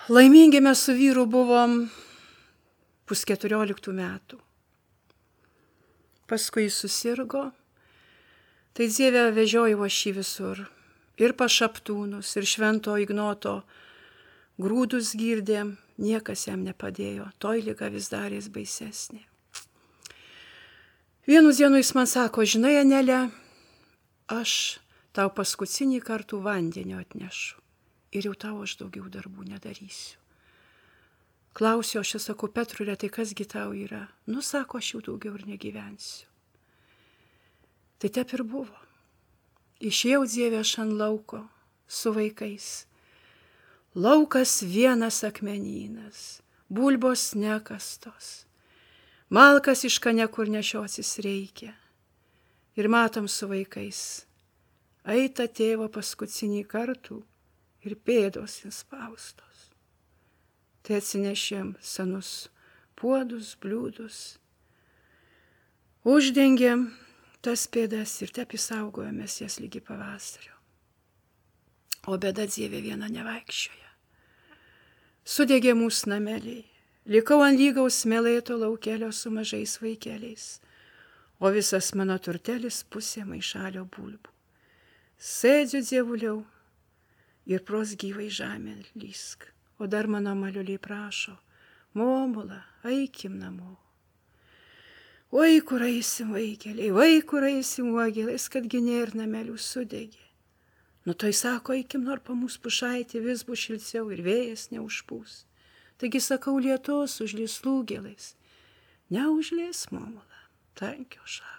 Laimingi mes su vyru buvom 14 metų. Paskui jis susirgo, tai Dieve vežiojo aš jį visur. Ir pašaptūnus, ir Švento Ignoto grūdus girdėm, niekas jam nepadėjo, toj liga vis darės baisesnė. Vienu dienu jis man sako, žinai, Anelė, aš tau paskutinį kartų vandenio atnešu ir jau tau aš daugiau darbų nedarysiu. Klausiu, aš sakau, Petrulė, tai kasgi tau yra? Nu, sako, aš jau daugiau ir negyvensiu. Tai taip ir buvo. Išėjau, Dieve, aš ant lauko su vaikais. Laukas vienas akmenynas, bulbos nekastos, malkas iš kanekur nešiosis reikia. Ir matom su vaikais, eita tėvo paskutinį kartų ir pėdos įspaustos. Tai atsinešėm senus puodus, bliūdus, uždengėm tas pėdas ir taip įsaugojomės jas lygi pavasario. O bėda, Dieve, viena nevaikščioja. Sudegė mūsų nameliai, likau ant lygaus smėlėto laukelio su mažais vaikeliais, o visas mano turtelis pusė maišalio bulbų. Sėdžiu, Dievuliau, ir pros gyvai žemė lysk, o dar mano maliuliai prašo, Momula, eikim namo. Oi, kur eisim vaikeliai, vai, kur eisim uogelais, kadgi nėr namelių sudegė. Nu tai sako, eikim nor pa mūsų pušaitį, vis bus šilčiau ir vėjas neužpūs. Taigi sakau, lietus užlies lūgelais. Neužlies, Momula, tankio šalį.